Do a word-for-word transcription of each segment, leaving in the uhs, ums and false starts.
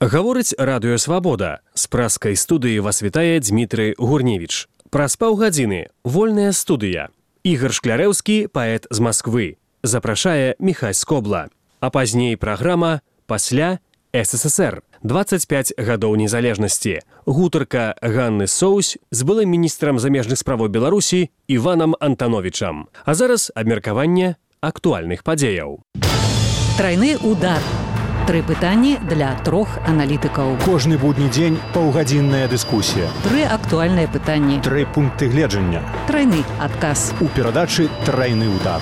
Гаворыць радыё «Свабода». З праскай студыі вас вітае Дмітрый Гурневіч. Праз паўгадзіны вольная студыя. Ігар Шклярэўскі, паэт з Масквы. Запрашае Міхась Скобла. А пазней праграма «Пасля СССР». дваццаць пяць гадоў незалежнасці. Гутарка Ганны Соусь з былым міністрам замежных справаў Беларусі Іванам Антановічам. А зараз абмеркаванне актуальных падзеяў. Трайны удар. Тры пытанні для трох аналітыкаў. Кожны будні дзень паўгадзінная дыскусія. Тры актуальныя пытанні. Тры пункты гледжання. Трайны адказ. У перадачы «Трайны удар».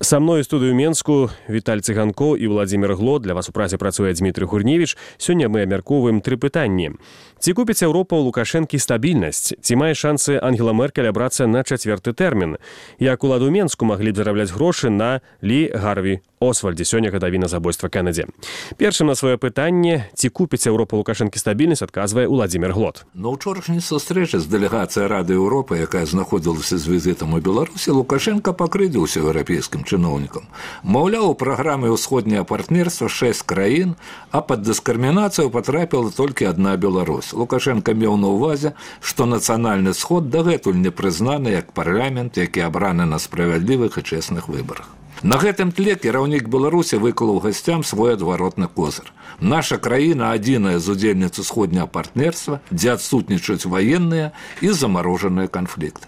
Са мной у студыю Менску Віталь Цыганко і Владзімір Гло. Для вас у празе працуе Дмітрый Гурневіч. Сёння мы абмяркоўваем тры пытанні. Ці купіць Еўропа ў Лукашэнкі стабільнасць? Ці мае шансы Ангела Меркель абрацца на чацвёрты тэрмін? Як уладу Менску маглі б зарабляць грошы на Лі Гарві Освальдзе, сёння гадавіна забойства Кеннеді? Першым на сваё пытанне, ці купіць Еўропа Лукашэнкі стабільнасць, адказвае Владзімір Глот. На ўчорашняй сустрэчы з дэлегацыяй Рады Еўропы, якая знаходзілася з візітам у Беларусі, Лукашенко пакрыўдзіўся еўрапейскім чыноўнікам. Маўляў, у праграме ўсходняе партнерства шэсць краін, а пад дыскрымінацыю патрапіла толькі адна Беларусь. Лукашенко меў на ўвазе, што нацыянальны сход дагэтуль не прызнаны як парламент, які абраны на справядлівых і чэсных выбарах. На гэтым тле кіраўнік Беларусі выклаў гасцям свой адваротны козыр. Наша краіна адзіная з удзельніц усходняга партнерства, дзе адсутнічаюць ваенныя і замарожаныя канфлікты.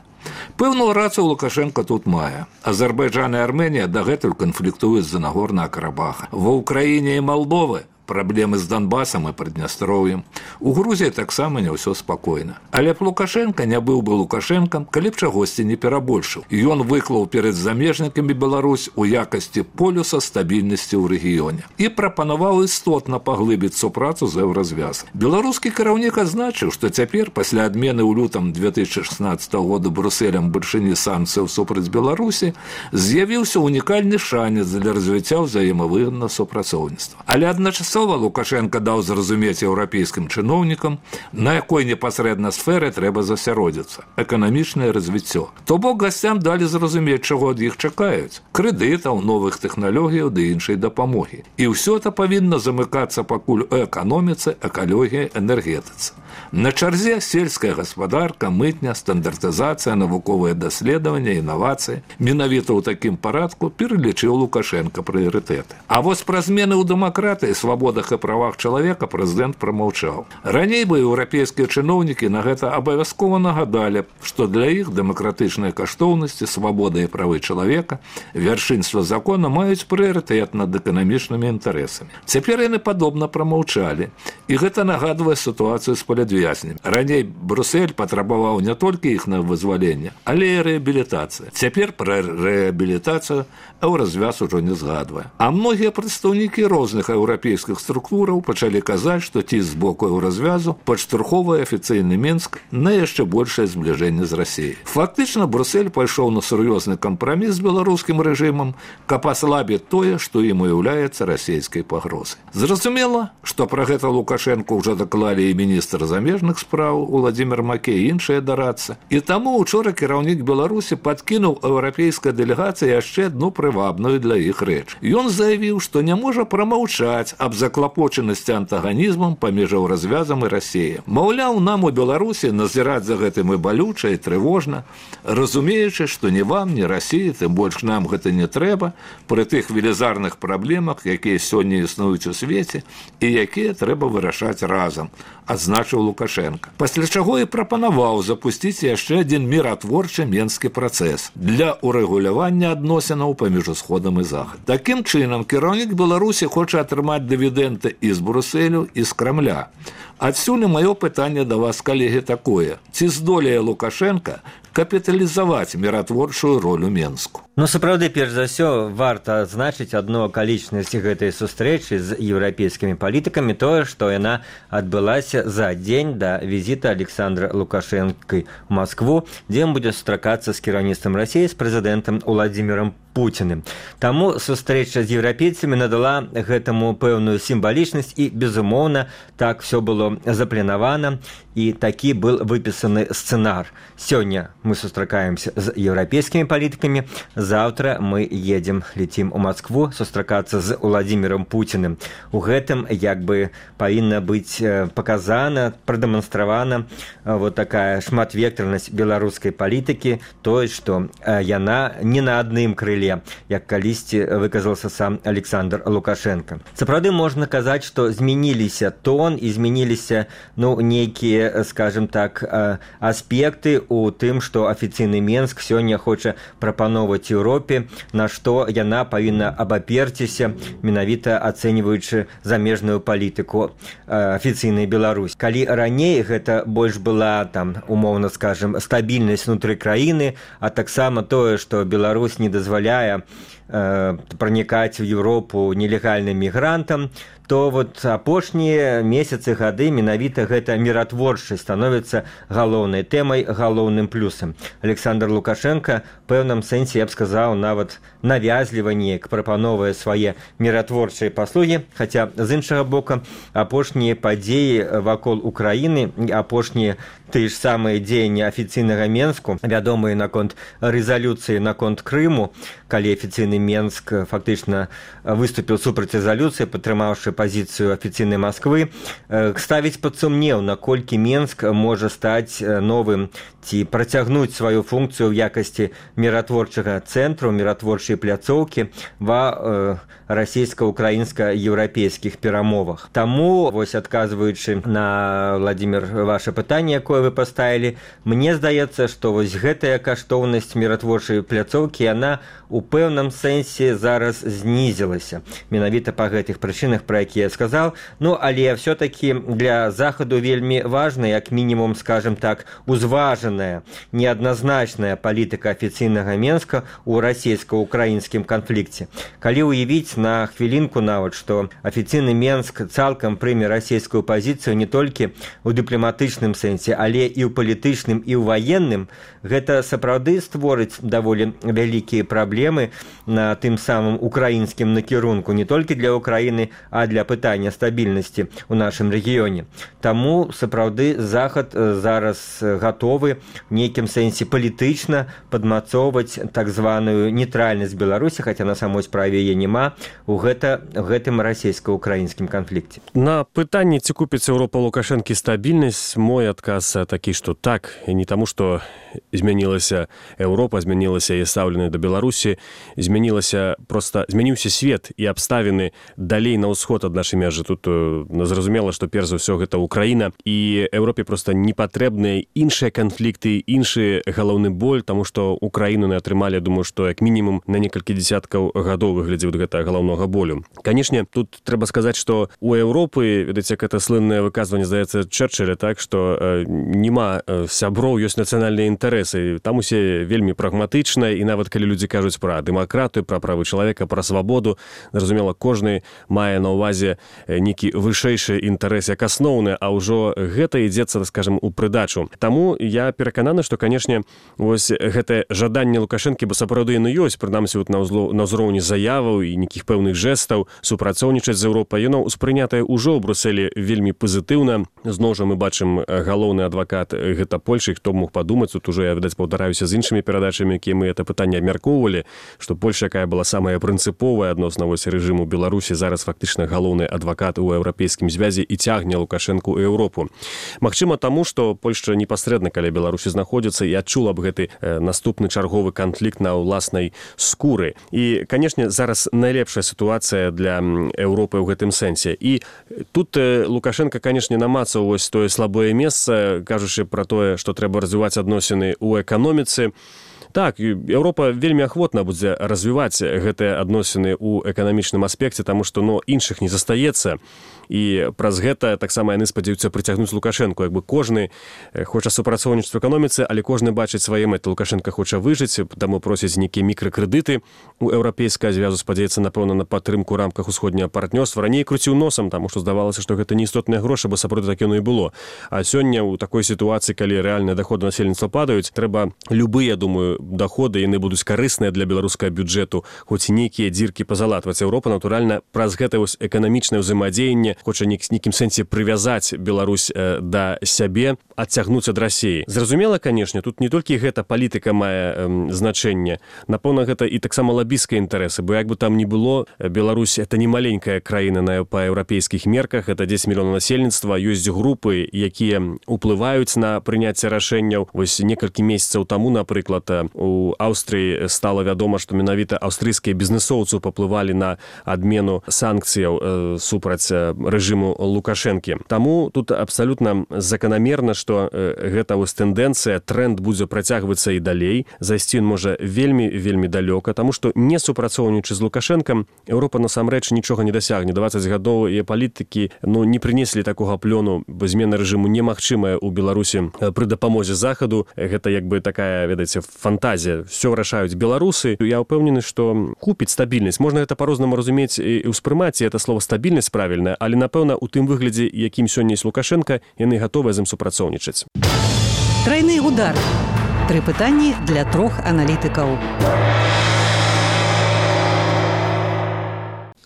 Пэўную рацыю Лукашенко тут мае. Азербайджан і Арменія дагэтуль канфліктуюць з-за Нагорнага Карабаха. Ва Ўкраіне і Малдовы праблемы з Донбасам і Прыднястроўем. У Грузіі таксама не ўсё спакойна. Але б Лукашенко не быў бы Лукашэнкам, калі б чагосьці не перабольшыў. І ён выклаў перад замежнікамі Беларусь у якасці полюса стабільнасці ў рэгіёне. І прапанаваў істотна паглыбіць супрацу з еўразвязам. Беларускі кіраўнік азначыў, што цяпер, пасля адмены ў лютым две тысячы шаснаццатага года Брусэлем вышыні санкцыяў супраць Беларусі, з'явіўся унікальны шанец для развіцця ўзаемавыгаднага супрацоўніцтва. Але адначасова Лукашенко даў зразумець еўрапейскім чыноўнікам, на якой непасрэдна сферы трэба засяродзіцца – эканамічнае развіццё. То бок гасцям далі зразумець, чаго ад іх чакаюць – крэдытаў, новых тэхналогіяў ды іншай дапамогі. І ўсё это павінна замыкацца пакуль у эканоміцы, экалогіі, энергетыцы. На чарзе сельская гаспадарка, мытня, стандартызацыя, навуковыя даследаванні, інавацыі. Менавіта ў такім парадку пералічыў Лукашенко прыярытэты. А вось пра змены ў дэмакратыі, свабодах і правах чалавека прэзідэнт прамаўчаў. Раней бы еўрапейскія чыноўнікі на гэта абавязкова нагадалі, што для іх дэмакратычныя каштоўнасці, свабода і правы чалавека, вяршынства закона маюць прыярытэт над эканамічнымі інтарэсамі. Цяпер яны падобна прамаўчалі. І гэта нагадвае сітуацыю з палітвязнямі. Раней Брусэль патрабаваў не толькі іх на вызваленне, але і рэабілітацыя. Цяпер пра рэабілітацыю еўразвяз ужо не згадвае. А многія прадстаўнікі розных еўрапейскіх структураў пачалі казаць, што ці з боку еўразвязу падштурхоўвае афіцыйны Мінск на яшчэ большае збліжэнне з Расіяй. Фактычна Брусэль пайшоў на сур'ёзны кампраміс з беларускім рэжымам, каб аслабіць тое, што ім уяўляецца расійскай пагрозай. Зразумела, што пра гэта Лукашенко ўжо даклалі і міністр замежных спраў Владзімір Макей і іншыя дарадцы. І таму учора кіраўнік Беларусі падкінуў еўрапейскай дэлегацыі яшчэ адну прывабную для іх рэч. Ён заявіў, што не можа прамаўчаць аб заклапочанасці антаганізмам паміж еўразвязам і Расіяй. Маўляў, нам у Беларусі назіраць за гэтым і балюча, і трывожна, разумеючы, што ні вам, ні Расіі, тым больш нам гэта не трэба, пры тых велізарных праблемах, якія сёння існуюць у свеце і якія трэба вырашаць разам, адзначыў Лукашенко. Пасля чаго і прапанаваў запусціць яшчэ адзін міратворчы менскі працэс для урэгулявання адносінаў паміж усходам і захад. Такім чынам, кіраўнік Беларусі хоча атрымаць дывідэнды і з Брусэлю, і з Крамля. Адсюль маё пытанне да вас, калегі, такое. Ці здолее Лукашенко капіталізаваць міратворчую ролю Менску? Ну, сапраўды, перш за ўсё, варта адзначыць адну акалічнасць гэтай сустрэчы з еўрапейскімі палітыкамі, тое, што яна адбылася за дзень да візіта Александра Лукашэнкі ў Маскву, дзе ён будзе сустракацца з кіраўніцтвам Расіі, з прэзідэнтам Владзімірам Путіным. Таму сустрэча з еўрапейцамі надала гэтаму пэўную сімвалічнасць і, безумоўна, так все было запланавана і такі был выпісаны сцэнар. Сёння мы сустракаемся з еўрапейскімі палітыкамі, заўтра мы едзем, летім у Москву сустракацца з Владимиром Путиным. У гэтым як бы павінна быць паказана, прадэманстравана вот такая шматвектарнасць беларускай палітыкі, тое, што яна не на адным крыле, як калісьці выказался сам Александр Лукашенко. Сапраўды можна казаць, што змяніліся тон і змяніліся ну, нейкія, скажем так, аспекты у тым, што афіцыйны Менск сёння хоча прапановваць Еўропе, на што яна павінна абаперціся, менавіта ацэньваючы замежную палітыку афіцыйнай Беларусь. Калі раней гэта больш была, там, умоўна скажем, стабільнасць внутры краіны, а таксама тое, што Беларусь не дазваляе э, пранікаць у Еўропу нелегальным мігрантам, то вот апошнія месяцы гады менавіта гэта міратворчасць становіцца галоўнай тэмай, галоўным плюсам. Александр Лукашенко в пэўным сэнсе, я б сказаў, нават навязліва неяк прапановвае свае міратворчыя паслугі, хаця з іншага боку апошнія падзеі вакол Украіны, апошнія тыя ж самыя дзеянні афіцыйнага Менску, вядомыя наконт рэзалюцыі наконт Крыму, калі афіцыйны Менск фактычна выступіў супраць рэзалюцыі, падтрымаўшы пазіцыю афіцыйнай Москвы, ставіць пад сумнеў, наколькі Менск можа стаць новым ці працягнуць сваю функцыю ў якасці міратворчага цэнтру, міратворчай пляцоўкі ва э, расійска-украінска-еўрапейскіх перамовах. Таму, вось адказваючы на, Владимир, ваше пытанне, якое вы паставілі, мне здаецца, што вось гэтая каштоўнасць міратворчай пляцоўкі, яна у пэўным сэнсе зараз знізілася. Менавіта па гэтых прычынах, пра якія я сказаў. Ну, але все-таки для Захаду вельмі важна, як мінімум, скажем так, узважаная, неадназначная палітыка афіцыйнага Менска ў расійска-украінскім канфлікце. Калі уявіць на хвілінку нават, што афіцыйны Менск цалкам прыме расійскую пазіцыю не толькі ў дыпламатычным сэнсе, але і ў палітычным, і ў ваенным, гэта сапраўды створыць даволі вялікія праблемы на тым самым украінскім накірунку, не толькі для Украіны, а для пытання стабільнасці ў нашым рэгіёне. Таму сапраўды Захад зараз гатовы в нейкім сэнсе палітычна падмацоўваць так званую нейтральнасць Беларусі, хаця на самой справе яе няма, у гэта, гэтым расійска-украінскім канфлікце. На пытанне, ці купіць Еўропа Лукашэнкі стабільнасць, мой адказ такі, што так, і не таму, што змянілася Еўропа, змянілася і стаўленне да Беларусі, змянілася проста, змяніўся свет і абставіны далей на ўсход ад нашай мяжы. Тут зразумела, што перш за ўсё гэта Украіна, і Еўропе проста не патрэбныя іншыя канфлікты, іншы галоўны боль, таму што Украіну не атрымалі, думаю, што як мінімум на некалькі дзесяткаў гадоў выглядзе гэта галоўнага болю. Канешне, тут трэба сказаць, што у Еўропы, ведаце, як гэта слыннае выказванне, здаецца, Чэрчыля, так, што э, няма сяброў, ёсць нацыянальныя інтарэсы. Там усе вельмі прагматычна, і нават калі людзі кажуць пра дэмакратыю, пра правы чалавека, пра свабоду, зразумела, кожны мае на ўвазе нейкі вышэйшы інтарэс як асноўны, а ўжо гэта ідзецца, скажем, у прыдачу. Таму я перакананы, што, канешне, вось гэтае жаданне Лукашэнкі, бо сапраўды яно ёсць, прынамсі вот на ўзроўні заяваў і нейкіх пэўных жэстаў супрацоўнічаць з Еўропай, яно ўспрынятае ўжо ў Брусэлі вельмі пазітыўна. Зноў жа мы бачым галоўны адвакат гэта Польшы, хто мог падумаць, тут ужо я, відаць, паўтараюся з іншымі перадачамі, якія мы это пытанне абмяркоўвалі, што Польша, якая была самая прынцыповая адносна вось рэжыму Беларусі, зараз фактычна галоўны адвакат у еўрапейскім звязе і цягне Лукашэнку ў Еўропу. Магчыма, таму, што Польшча непасрэдна каля Беларусі знаходзіцца і адчула б гэты э, наступны чарговы канфлікт на ўласнай скуры. І, канешне, зараз найлепшая сітуацыя для Еўропы ў гэтым сэнсе. І тут э, Лукашенко, канешне, намацаў вось тое слабое месца, кажучы пра тое, што трэба развіваць адносіны ў эканоміцы. Так, Еўропа вельмі ахвотна будзе развіваць гэтыя адносіны ў эканамічным аспекце, таму што ну, іншых не застаецца. І праз гэта таксама яны спадзяюцца прыцягнуць Лукашэнку. Як бы кожны хоча супрацоўнічаць у эканоміцы, але кожны бачыць свае мэты. Лукашенко хоча выжыць, таму просяць нейкія мікракрэдыты у еўрапейскага звязу, спадзяецца, напэўна, на падтрымку ў рамках усходняга партнёрства. Раней круціў носам, таму што здавалася, што гэта не істотныя грошы, бо сапраўды так яно і было. А сёння ў такой сітуацыі, калі рэальныя даходы насельніцтва падаюць, трэба любыя, думаю, доходы яны будуць карысныя для беларускага бюджэту, хоць нейкія дзіркі пазалатваць. Еўропа, натуральна, праз гэта вось эканамічнае ўзаемадзеянне хоча нейкім сэнсе прывязаць Беларусь да сябе, адцягнуць ад Расіі. Зразумела, канешне, тут не толькі гэта палітыка мае э, значэнне, напэўна, гэта і таксама лабійскія інтарэсы, бо як бы там ні было, Беларусь это не маленькая краіна на па еўрапейскіх мерках, это дзесяць мільёнаў насельніцтва, ёсць групы, якія уплываюць на прыняцце рашэнняў. Вось некалькі месяцаў таму, напрыклад, у Аўстрыі стала вядома, што менавіта аўстрыйскія бізнесоўцы паплывалі на адмену санкцыяў э, супраць рэжыму Лукашэнкі. Таму тут абсалютна заканамерна, што э, гэта вось тэндэнцыя, тренд будзе працягвацца і далей. Зайсці ён можа вельмі, вельмі далёка, таму што не супрацоўнічы з Лукашэнкам, Еўропа насамрэч нічога не дасягне. дваццаць гадоў і палітыкі ну, не прынеслі такога плёну, бо змена рэжыму немагчымая ў Беларусі пры дапамозе Захаду. Гэта як бы такая, ведаеце, фантазія. Всё вырашаюць беларусы. Я ўпэўнены, што купіць стабільнасць. Можна гэта па-рознаму разумець і ўспрымаць, і это слово стабільнасць правільнае, але, напэўна, у тым выглядзе, якім сёння ёсць Лукашенка, яны гатовыя з ім супрацоўнічаць. Трайны удар. Тры пытанні для трох аналітыкаў.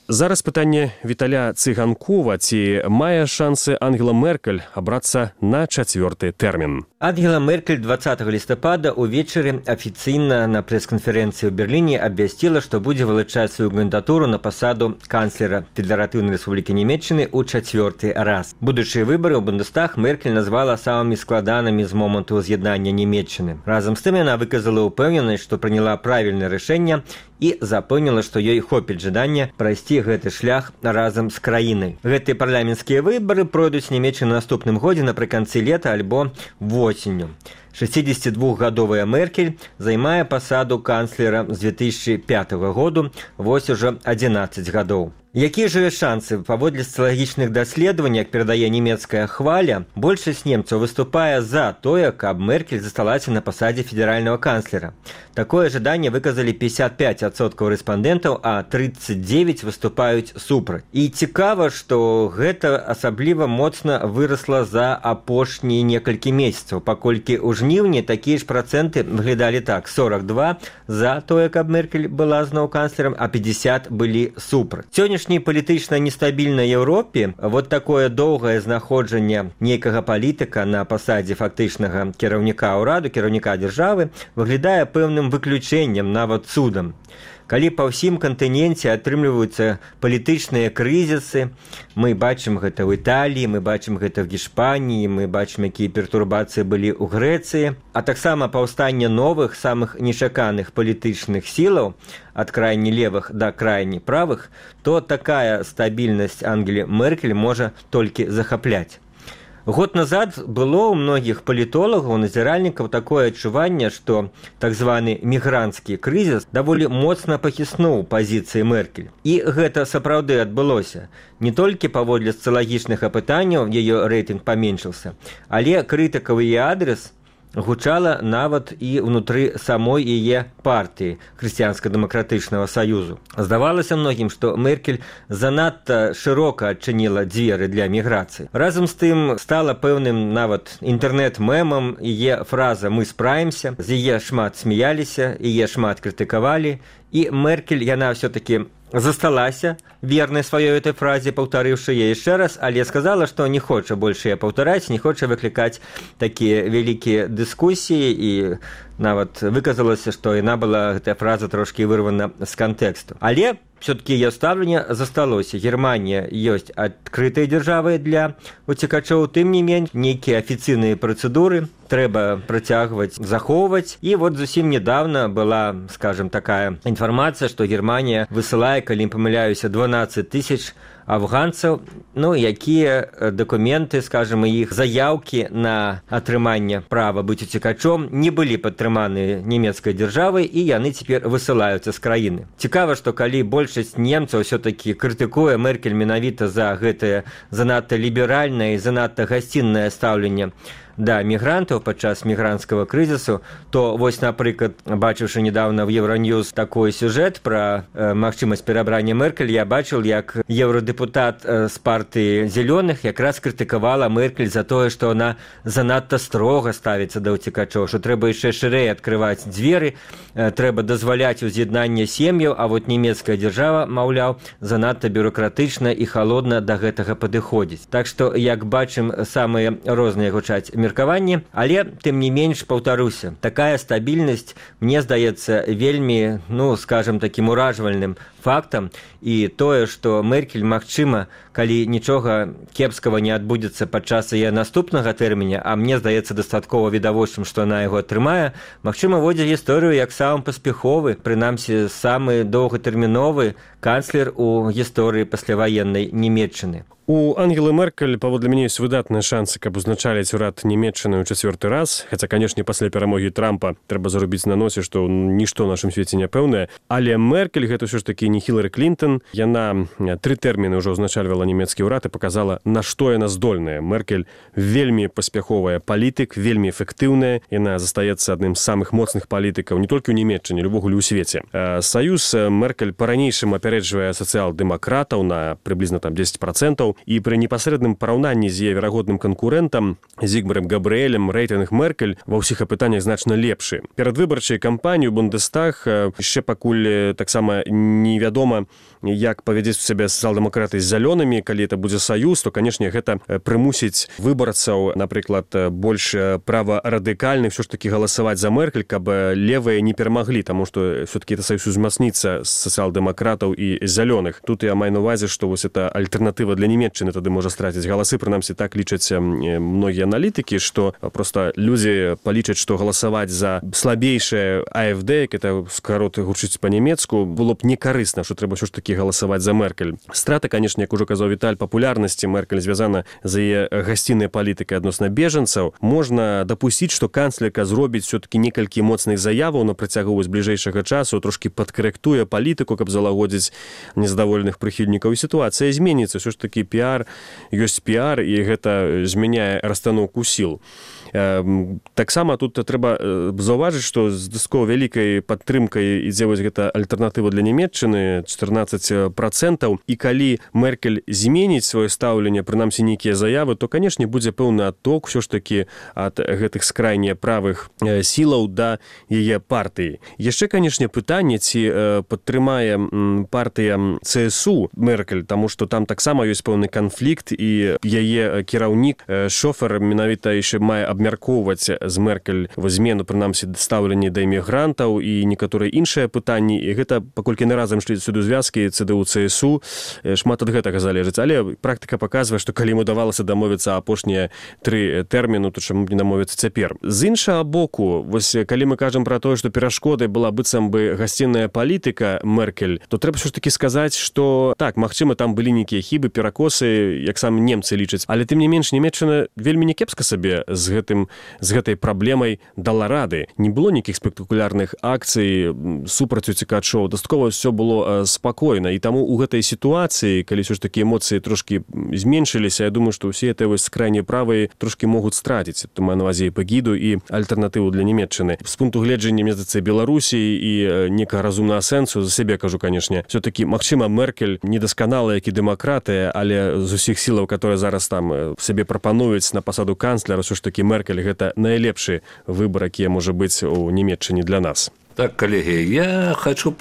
Зараз пытанне Віталя Цыганкова, ці мае шансы Ангела Меркель абрацца на чацвёрты тэрмін. Ангела Меркель двадцатого лістапада увечары афіцыйна на прэс-канферэнцыі ў Берліне абвясціла, што будзе вылучаць сваю кандыдатуру на пасаду канцлера Федэратыўнай Рэспублікі Нямецчыны ў чацвёрты раз. Будучыя выбары ў Бундестаг Меркель назвала самымі складанымі з моманту з'яднання Нямецчыны. Разам з тым яна выказала ўпэўненасць, што прыняла правільнае рашэнне і запэўніла, што ёй хопіць жадання прайсці гэты шлях разам з краінай. Гэтыя парламенцкія выбары пройдуць Нямецчыны наступным годзе напрыканцы лета альбо восенню. шэсцідзесятидвухгадовая Меркель займае пасаду канцлера з две тысячи пятого году, вось ужо адзінаццаць гадоў. Якія ж шансы? Паводле сацыялагічных даследаванняў, як перадае нямецкая хваля, большасць немцаў выступае за тое, каб Меркель засталася на пасадзе федэральнага канцлера. Такое жаданне выказалі пятьдесят пять адсоткаў рэспандэнтаў, а тридцать девять выступаюць супраць. І цікава, што гэта асабліва моцна вырасла за апошнія некалькі месяцаў, паколькі ў жніўні такія ж працэнты выглядалі так: сорок два за тое, каб Меркель была зноў канцлерам, а пятьдесят былі супраць. Сённяшняй палітычна нестабільнай Еўропе вот такое доўгае знаходжанне нейкага палітыка на пасадзе фактычнага кіраўніка ўраду, кіраўніка дзяржавы выглядае пэўным выключэннем, нават цудам. Калі па ўсім кантыненце атрымліваюцца палітычныя крызісы, мы бачым гэта ў Італіі, мы бачым гэта в Гішпаніі, мы бачым, якія пертурбацыі былі ў Грэцыі, а таксама паўстанне новых, самых нечаканых палітычных сілаў, ад крайне левых да крайне правых, то такая стабільнасць Ангелі Меркель можа толькі захапляць. Год назад было ў многіх палітолагаў, назіральнікаў такое адчуванне, што так званы мігранцкі крызіс даволі моцна пахіснуў пазіцыі Меркель. І гэта сапраўды адбылося. Не толькі паводле сацыялагічных апытанняў яе рэйтынг паменшыўся, але крытыкаў яе адрес гучала нават і ўнутры самой яе партыі Хрысціянска-дэмакратычнага саюзу. Здавалася многім, што Меркель занадта шырока адчыніла дзверы для міграцыі. Разам з тым стала пэўным нават інтэрнэт-мемам яе фраза «Мы справімся», з яе шмат смяяліся, яе шмат крытыкавалі, і Меркель, яна ўсё-такі засталася вернай сваёй этой фразе, паўтарыўшы яе яшчэ раз, але сказала, што не хоча больш яе паўтараць, не хоча выклікаць такія вялікія дыскусіі, і нават выказалася, што яна была, гэтая фраза, трошкі вырвана з кантэксту. Але все-таки яе стаўленне засталося. Германія ёсць адкрытай дзяржавай для уцекачоў, тым не менш, нейкія афіцыйныя працэдуры трэба працягваць, захоўваць. І вот зусім недавно была, скажем, такая інфармацыя, што Германія высылае, калі не памыляюся, дванаццаць тысяч афганцаў, ну, якія дакументы, скажем, іх заяўкі на атрыманне права быць уцекачом не былі падтрыманы нямецкай дзяржавай, і яны цяпер высылаюцца з краіны. Цікава, што калі большасць немцаў ўсё-такі крытыкуе Меркель менавіта за гэтае занадта ліберальнае і занадта гасціннае стаўленне да мігрантаў падчас мігранцкага крызісу, то вось, напрыклад, бачыўшы недавно в Евроньюз такой сюжэт пра э, магчымасць перабрання Меркель, я бачыў, як еўрадэпутат э, з партыі зялёных якраз крытыкавала Меркель за тое, што она занадта строга ставіцца да ўцекачоў, што трэба яшчэ шырэй адкрываць дзверы, э, трэба дазваляць уз'яднанне сем'яў, а вот нямецкая дзяржава, маўляў, занадта бюрократычна і халодна да гэтага падыходзіць. Так што, як бачым, самыя розныя гучаць меркаванні, але тым не менш, паўтаруся, такая стабільнасць, мне здаецца, вельмі, ну, скажем, такім уражвальным фактам, і тое, што Меркель, магчыма, калі нічога кепскага не адбудзецца падчас яе наступнага тэрміня, а мне здаецца дастаткова відавочным, што она яго атрымае, магчыма, водзе гісторыю як самы паспяховы, прынамсі, самы доўгатэрміновы канцлер у гісторыі пасляваеннай Нямецчыны. У Ангелы Меркель, паводле мяне, ёсць выдатныя шансы, каб узначаліць урад Нямецчыны ў чацвёрты раз, хаця, канешне, пасля перамогі Трампа трэба зарубіць на носе, што нішто ў нашым свеце няпэўнае. Але Меркель, гэта ўсё ж такі не Хілары Клінтон, яна тры тэрміны ўжо ўзначальвала нямецкі ўрад і паказала, на што яна здольная. Меркель вельмі паспяховая палітык, вельмі эфектыўная, яна застаецца адным з самых моцных палітыкаў не толькі ў Нямецчыне, увогуле ў свеце. Саюз Меркель па-ранейшым апярэджвае сацыял-дэмакратаў на прыблізна там дзесяць працэнтаў, і пры непасрэдным параўнанні з яе верагодным канкурэнтам Зігмарам Габрыэлем рэйтынг Меркель ва ўсіх апытаннях значна лепшы. Перад выбарчай кампаніяй Бундестаг яшчэ пакуль таксама невядома, як павядзець у сябе сацыял-дэмакраты з зялёнымі, калі это будзе саюз, то, канешне, гэта прымусіць выбарцаў, напрыклад, больш праварадыкальных ўсё ж такі галасаваць за Меркель, каб левыя не перамаглі, таму што все-таки это саюз узмацніцца з сацыял-дэмакратаў і зялёных. Тут я маю на увазе, што вось это альтэрнатыва для Нямецчыны тады можа страціць галасы, прынамсі так лічаць многія аналітыкі, што проста людзі палічаць, што галасаваць за слабейшае АФД, як это скарот гучыць па-нямецку, было б некарысна, што трэба ўсё ж такі галасаваць за Меркель. Страта, канешне, як ужо казаў Віталь, папулярнасці Меркель звязана за яе гасціннай палітыкай адносна бежанцаў. Можна дапусціць, што канцлерка зробіць все-таки некалькі моцных заяваў на працягу з бліжэйшага часу, трошкі падкарэктуе палітыку, каб залагодзіць незадаволеных прыхільнікаў, і сітуацыя зменіцца. Ўсё ж такі піар ёсць піар, і гэта змяняе расстаноўку сіл. Таксама тут трэба заўважыць, што з дастаткова вялікай падтрымкай ідзе вось гэта альтэрнатыва для Нямецчыны чатырнаццаць працэнтаў, і калі Меркель зменіць сваё стаўленне, прынамсі нейкія заявы, то, канешне, будзе пэўны адток ўсё ж такі ад гэтых скрайне правых сілаў да яе партыі. Яшчэ, канешне, пытанне, ці падтрымае партыя ЦСУ Меркель, таму што там таксама ёсць пэўны канфлікт, і яе кіраўнік Шофер менавіта яшчэ мае абмяркоўваць з Меркель змену, прынамсі, стаўленне да імігрантаў і некаторыя іншыя пытанні, і гэта, паколькі не разам шлі сюды звязкі ЦДУ, ЦСУ, шмат ад гэтага залежыць. Але практыка паказвае, што калі ім удавалася дамовіцца апошнія тры тэрміну, то чаму б не дамовіцца цяпер. З іншага боку, вось калі мы кажам пра тое, што перашкодай была быццам бы гасцінная палітыка Меркель, то трэба ўсё ж такі сказаць, што так, магчыма, там былі нейкія хібы, перакосы, як сам немцы лічаць, але тым не менш Нямецчына вельмі някепска сабе з гэтым з гэтай праблемай дала рады. Не было нейкіх спектакулярных акцый супраць уцекачоў, дастаткова ўсё было спакойна, і таму у гэтай сітуацыі, калі ўсё ж такі эмоцыі трошкі зменшыліся, я думаю, што ўсе гэтыя вось крайне правыя трошкі могуць страціць, то маю на ўвазе і пагіду, і альтэрнатыву для Нямецчыны. З пункту гледжання, мне здаецца, Беларусі і некага разумнага сэнсу, за сябе кажу, канешне, все-таки, магчыма, Меркель недасканала, як і дэмакратыя, але з усіх сілаў, которые зараз там сабе прапануюць на пасаду канцлера, ўсё ж такі Меркель гэта найлепшы выбар, які можа быць у Нямецчыне для нас. Так, коллеги, я хочу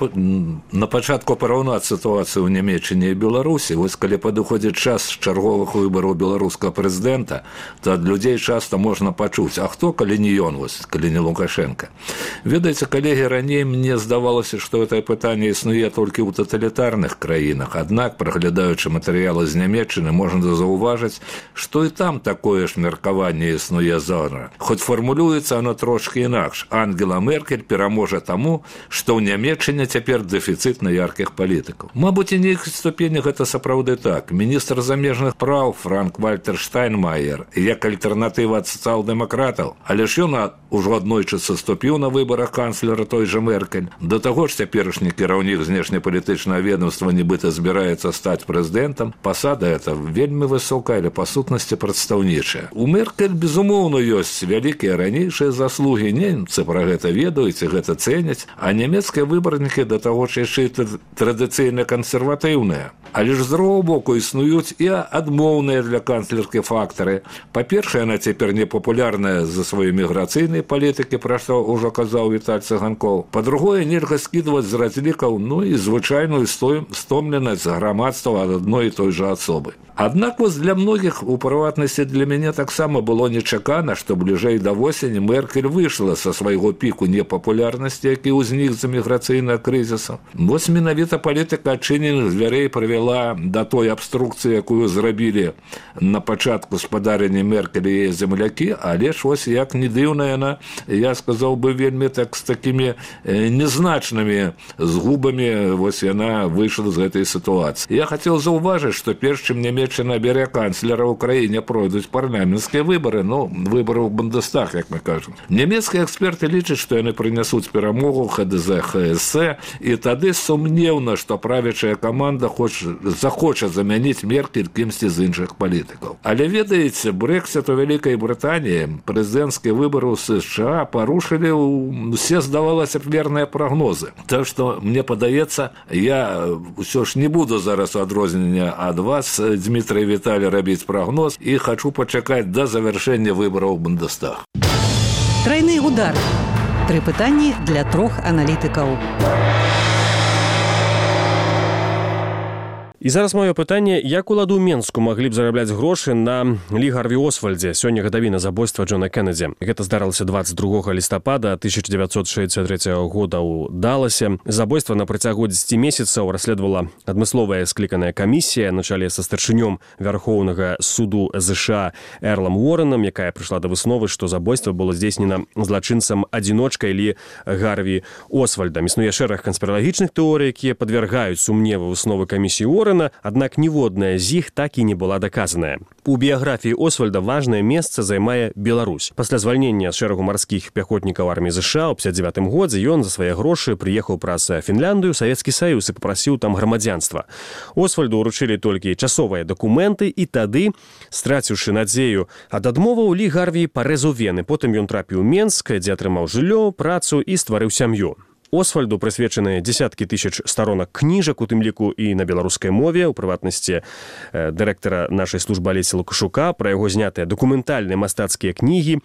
на пачатку параўнаць сітуацыю ў Нямецчыне і Беларусі. Вось калі падыходзіць час чарговых выбараў беларускага прэзідэнта, то ад людзей часта можна пачуць, а хто, калі не ён, вось, калі не Лукашенко. Ведаеце, коллеги, раней мне здавалася, што гэта пытанне існуе толькі ў таталітарных краінах. Аднак, праглядаючы матэрыялы з Нямецчыны, можна заўважыць, што і там такое ж меркаванне існуе зараз. Хоць фармулюецца оно трошкі інакш. Ангела Меркель пераможа таму, што ў Нямецчыне цяпер дэфіцыт на яркіх палітыкаў. Мабыць, і нейкай ступені гэта сапраўды так. Міністр замежных праў Франк-Вальтер Штайнмаер як альтэрнатыва ад сацыял-дэмакратаў, але ж ён ужо аднойчы саступіў на выбарах канцлера той жа Меркель. Да таго ж цяперашні кіраўнік знешнепалітычнага ведомства нібыта збіраецца стаць прэзідэнтам. Пасада эта вельмі высокая, але па сутнасці прадстаўнічая. У Меркель, безумоўна, ёсць вялікія ранейшыя заслугі. Немцы пра гэта ведаюць і гэта цэняць, а нямецкія выбарнікі да таго ж яшчэ традыцыйна кансерватыўныя. Але ж з другого боку існуюць і адмоўныя для канцлеркі фактары. Па-першае, яна цяпер непапулярная за свае міграцыйныя палітыкі, пра што ўжо казаў Віталь Цыганкоў. Па-другое, нельга скідваць з разлікаў, ну і звычайную стомленасць грамадства ад адной і той жа асобы. Аднак вось для многіх, у прыватнасці для мяне таксама было нечакана, што бліжэй да восені Меркель выйшла са свайго піку непапулярнасці, які ўзнік з-за міграцыйнага крызісу. Вось менавіта палітыка адчыненых дзвярэй прывяла да той абструкцыі, якую зрабілі на пачатку спадарання Меркель і яе землякі, але ж вось як не дзіўна яна, я сказаў бы, вельмі так з такімі незначнымі згубамі вось яна выйшла з гэтай сітуацыі. Я хацеў заўважыць, што перш чым Нямецчына бере канцлера ў краіне, пройдуць парламенцкія выбары, ну, выбары ў Бундестаг, як мы кажам. Нямецкія эксперты лічаць, што яны прынясуць перамогу ха дэ зэ ха эс е, і тады сумнеўна, што правячая каманда хоча, захоча замяніць Меркель кімсьці з іншых палітыкаў. Але ведаеце, Брэкзіт у Вялікай Брытаніі, прэзідэнцкія выбары ў США парушылі усе, здавалася, верныя прагнозы. Так што, мне падаецца, я ўсё ж не буду зараз у адрозненне ад вас, Дмітрий Віталій, рабіць прагноз і хачу пачакаць да завяршэння выбараў Бундестаг. Трайны удар. Тры пытанні для трох аналітыкаў. І зараз маё пытанне, як уладу Менску маглі б зарабляць грошы на Лі Гарві Освальдзе, сёння гадавіна забойства Джона Кеннеді. Гэта здарылася дваццаць другога лістапада тысяча дзевяцьсот шэсцьдзесят трэцяга года ў Даласе. Забойства на працягу дзесяці месяцаў расследавала адмысловая скліканая камісія на чале са старшынём Вярхоўнага суду ЗША Эрлам Уорренам, якая прыйшла да высновы, што забойства было здзейснена злачынцам-адзіночкай Лі Гарві Освальдам. Існуе шэраг канспіралагічных тэорый, якія падвяргаюць сумневу высновы камісіі Уоррена, аднак ніводная з іх так і не была даказаная. У біяграфіі Освальда важнае месца займае Беларусь. Пасля звальнення з шэрагу марскіх пяхотнікаў арміі ЗША ў пяцьдзесят дзевятым годзе ён за свае грошы прыехаў праз Фінляндыю, Савецкі Саюз і папрасіў там грамадзянства. Освальду ўручылі толькі часовыя дакументы, і тады, страціўшы надзею ад адмоваў, Лі Гарві парэзаў вены. Потым ён трапіў у Менск, дзе атрымаў жыллё, працу і стварыў сям'ю. Освальду прысвечаны дзесяткі тысяч старонак кніжак, у тым ліку і на беларускай мове, у прыватнасці дырэктара нашай службы Алесі Лукашука, пра яго знятыя дакументальныя мастацкія кнігі.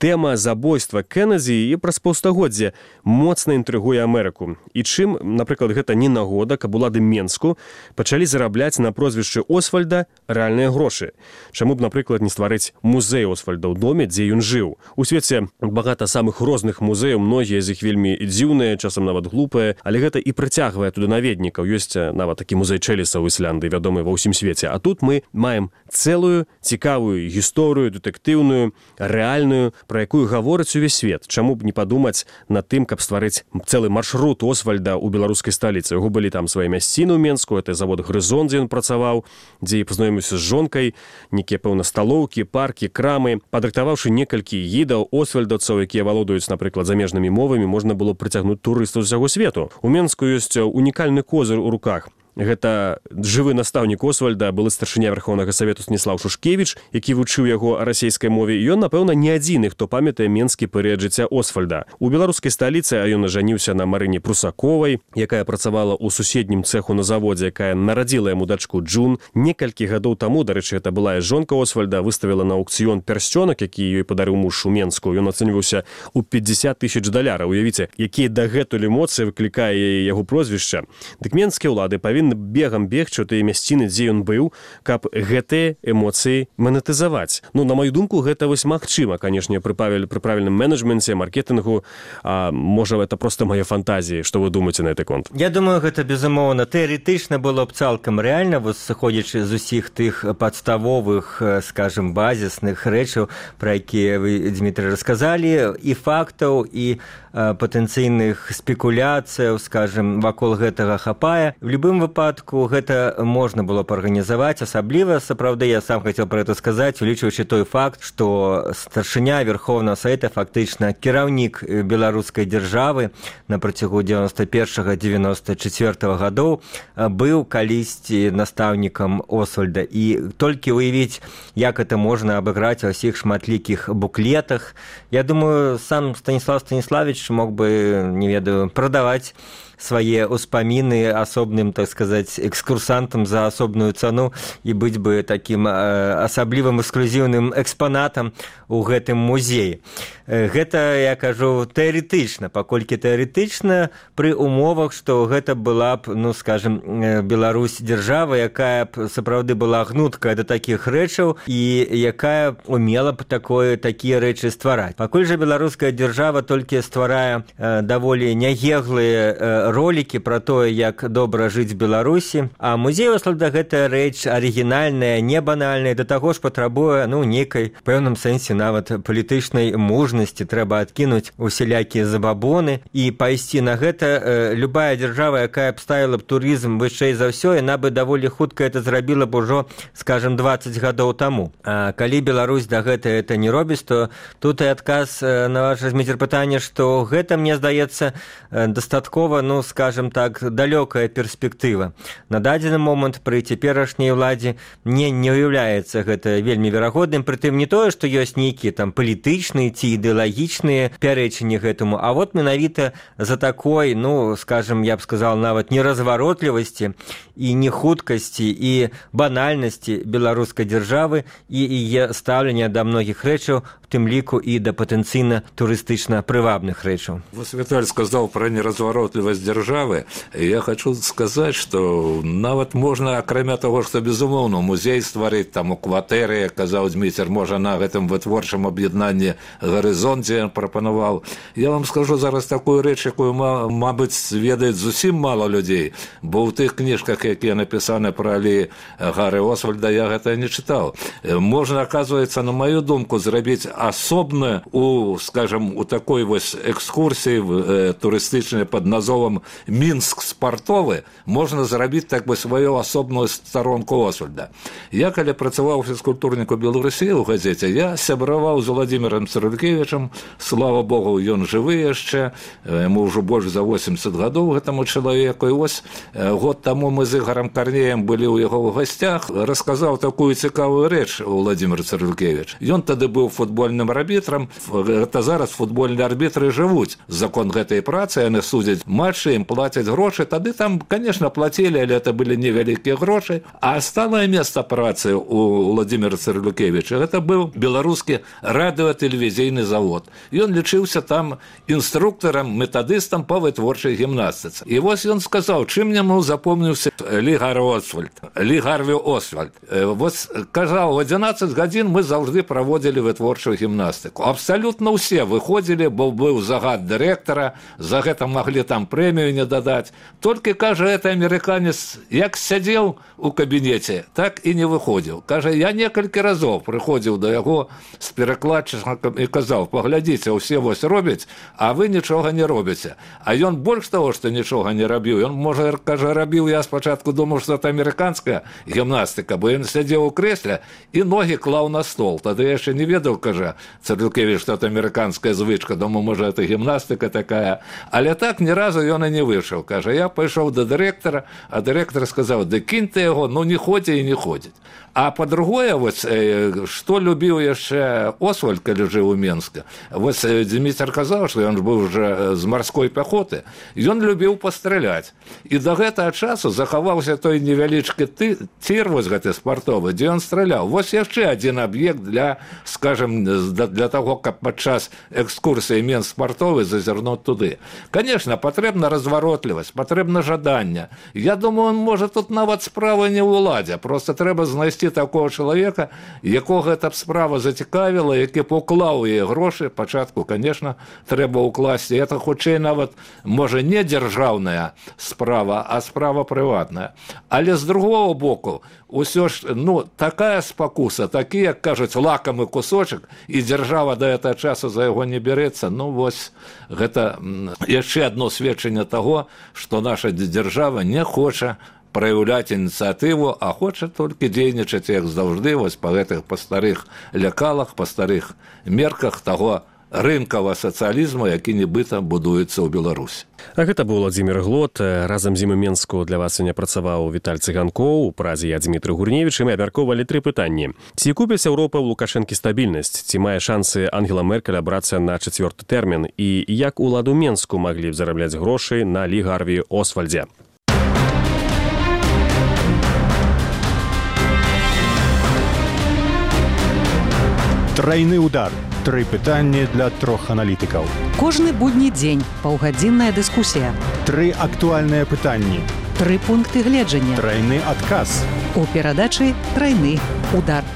Тэма забойства Кеннеді і праз паўстагоддзя моцна інтрыгуе Амерыку. І чым, напрыклад, гэта не нагода, каб улады Менску пачалі зарабляць на прозвішчы Освальда рэальныя грошы. Чаму б, напрыклад, не стварыць музей Освальда ў доме, дзе ён жыў? У свеце багата самых розных музеяў, многія з іх вельмі дзіўныя, часам нават глупыя, але гэта і прыцягвае туды наведнікаў. Ёсць нават такі музей Чэліса ў Ісляндыі, вядомы ва ўсім свеце. А тут мы маем цэлую цікавую гісторыю, дэтэктыўную, рэальную, пра якую гаворыць увесь свет. Чаму б не падумаць над тым, каб стварыць цэлы маршрут Освальда ў беларускай сталіцы. Яго былі там свае мясціны ў Менску, это завод «Грызон», дзе ён працаваў, дзе і пазнаёміўся з жонкай, нейкія, пэўна, сталоўкі, паркі, крамы. Падрыхтаваўшы некалькі гідаў освальдаўцаў, якія валодаюць, напрыклад, замежнымі мовамі, можна было прыцягнуць турыстаў з усяго свету. У Менску ёсць унікальны козыр у руках. Гэта жывы настаўнік Освальда, былы старшыня Верхоўнага Савету Станіслаў Шушкевіч, які вучыў яго расейскай мове. І ён, напэўна, не адзіны, хто памятае менскі перыяд жыцця Освальда. У беларускай сталіцы ён ажаніўся на Марыне Прусаковай, якая працавала ў суседнім цэху на заводзе, якая нарадзіла яму дачку Джун. Некалькі гадоў таму, дарэчы, гэта былая жонка Освальда, выставіла на аукцыён пярсцёнак, які ёй падарыў муж у Менску. Ён ацэньваўся ў пятьдесят тысяч даляраў. Уявіце, якія дагэтуль эмоцыі выклікае яго прозвішча. Дык менскія ўлады павінны павінны бегам бегчы у тыя мясціны, дзе ён быў, каб гэтыя эмоцыі манетызаваць. Ну, на маю думку, гэта вось магчыма, канешне, пры пры правільным менеджменце, маркетынгу. А можа, это проста мае фантазіі. Што вы думаеце на гэты конт? Я думаю, гэта, безумоўна, тэарэтычна было б цалкам рэальна, вось сыходзячы з усіх тых падставовых, скажем, базісных рэчаў, пра якія вы, Дмітрый, расказалі, і фактаў, і патэнцыйных спекуляцыяў, скажем, вакол гэтага хапае. В любым выпадку гэта можна было б арганізаваць, асабліва, сапраўды, я сам хацеў пра гэта сказаць, улічваючы той факт, што старшыня Верховнага Савета, фактычна кіраўнік беларускай дзяржавы на працягу дзевяноста першага - дзевяноста чацвёртага гадоў быў калісьці настаўнікам Освальда. І толькі уявіць, як это можна абыграць ва ўсіх шматлікіх буклетах. Я думаю, сам Станіслав Станіславович мог бы, не ведаю, прадаваць свае ўспаміны асобным, так сказаць, экскурсантам за асобную цану і быць бы такім асаблівым эксклюзіўным экспанатам у гэтым музеі. Гэта, я кажу, тэарэтычна, паколькі тэарэтычна пры умовах, што гэта была б, ну, скажем, Беларусь дзяржава, якая б сапраўды была гнуткая да такіх рэчаў і якая умела б такое, такія рэчы ствараць. Пакуль жа беларуская дзяржава толькі стварае даволі нягеглыя ролики пра тое, як добра жыць в Беларусі, а музей Освальда гэта рэч арыгінальная, не банальная, да таго ж патрабуе, ну, некай пэўным сэнсе нават палітычнай мужнасці, трэба адкінуць усялякія забабоны і пайсці на гэта. Любая дзяржава, якая б ставіла б турызм вышэй за ўсё, яна бы даволі хутка это зрабіла б ужо, скажем, дваццаць гадоў таму. А калі Беларусь да гэта это не робіць, то тут і адказ на ваше, Дмітрий, пытанне, што гэта, мне здаецца, дастаткова, ну, скажем так, далёкая перспектыва. На дадзены момант пры цяперашняй уладзе мне не ўяўляецца гэта вельмі верагодным, прытым не тое, што ёсць нейкія там палітычныя ці ідэалагічныя пярэчанні гэтаму, а вот менавіта за такой, ну, скажем, я б сказал, нават неразваротлівасці і нехуткасці і банальнасці беларускай дзяржавы і яе стаўлення да многіх рэчаў, в тым ліку і да патэнцыйна турыстычна прывабных рэчаў. Вось Віталь сказаў пра неразваротлівасць дзяржавы. Я хочу сказаць, што нават можна, акрамя таго, што, безумоўна, музей стварыць там у кватэры, казаў Дміцер, можа на гэтым вытворчым аб'яднанні «Гарызонце» прапанаваў. Я вам скажу зараз такую рэч, якую, мабыць, ведаюць зусім мала людзей, бо ў тых кніжках, якія напісаны пра Лі Гары Освальда, я гэта не чытаў. Можна, аказваецца, на маю думку, зрабіць асобна у, скажем, у такой вось экскурсіі э, турыстычнай пад назовам «Мінск спартовы», можна зрабіць так бы сваю асобную старонку Освальда. Я, калі працаваў фізкультурніку Беларусі ў газеце, я сябраваў з Владимиром Цырулькевічам, слава Богу, ён жывы яшчэ, яму ўжо больш за восемьдесят гадоў гэтаму чалавеку, і вось год таму мы з Ігарам Карнеем былі ў яго ў гасцях, расказаў такую цікавую рэч Владимир Цырулькевіч. Ён тады быў футбольным арбітрам, гэта зараз футбольныя арбітры жывуць. Закон гэтай працы, яны судзяць матчы, ім плацяць грошы, тады там, конечно, плацілі, але это былі невялікія грошы. А сталае месца працы у Владимира Цырулькевіча, гэта быў беларускі радыётэлевізійны завод. Ён лічыўся там інструктарам, метадыстам па вытворчай гімнастыцы. І вось ён сказаў, чым яму запомніўся Лі Гары Освальд, Лі Гарві Освальд. Вось казаў, в адзінаццаць гадзін мы заўжды праводзілі вытворчую гімнастыку. Абсалютна ўсе выходзілі, бо быў загад дырэктара, за гэта маглі там прэмію не дадаць. Толькі, кажа, гэты амерыканец, як сядзеў у кабінеце, так і не выходзіў. Кажа, я некалькі разоў прыходзіў да яго з перакладчыкам і казаў, паглядзіце, усе вось робяць, а вы нічога не робіце. А ён больш таго, што нічога не рабіў. Ён, можа, кажа, рабіў, я спачатку думаў, што это амерыканская гімнастыка, бо ён сядзеў у крэсле і ногі клаў на стол. Тады я яшчэ не ведаў, кажа Цырулькевіч, што это амерыканская звычка. Думаю, можа, это гімнастыка такая. Але так ні разу ён і не выйшаў. Кажа, я пайшоў да дырэктара, а дырэктар сказаў, да кінь ты яго, ну не ходзі і не ходзіць. А па-другое, вось, што любіў яшчэ Освальд, калі жыў у Менске. Вось Дміцер казаў, што ён быў уже з марской пяхоты. Ён любіў пастраляць. І да гэтага часу захаваўся той невялічкі тыр, вось гэты спартовы, дзе ён страляў. Вось яшчэ адзін аб'ект для, скажем, для того, каб падчас экскурсіі Менск партовы зазірнуць туды. Конечно, патрэбна разваротлівасць, патрэбна жаданне. Я думаю, можа тут нават справа не ў уладзе, просто трэба знайсці такого чалавека, якога гэта б справа зацікавіла, які б уклаў яе грошы. Пачатку, конечно, трэба ўкласці. Это хутчэй нават, можа, не дзяржаўная справа, а справа прыватная. Але з другого боку, усё ж, ну, такая спакуса, такі, як кажуць, лакамы кусочак, і дзяржава да гэтага часу за яго не бярэцца. Ну, вось, гэта яшчэ адно сведчанне таго, што наша дзяржава не хоча праяўляць ініцыятыву, а хоча толькі дзейнічаць, як заўжды, вось па гэтых па старых лекалах, па старых мерках таго рынкавага сацыялізму, які нібыта будуецца ў Беларусі. А гэта быў Владзімір Глот. Разам з ім у Менску для вас сёння працаваў Віталь Цыганкоў, у празе я Дзмітрый Гурневіч, і мы абмяркоўвалі тры пытанні. Ці купіць Еўропа ў Лукашэнкі стабільнасць? Ці мае шансы Ангела Меркель абрацца на чацвёрты тэрмін? І як уладу Менску маглі б зарабляць грошы на Лі Гарві Освальдзе? Трайны удар. Тры пытанні для трох аналітыкаў. Кожны будні дзень паўгадзінная дыскусія. Тры актуальныя пытанні. Тры пункты гледжання. Трайны адказ. У перадачы «Трайны удар».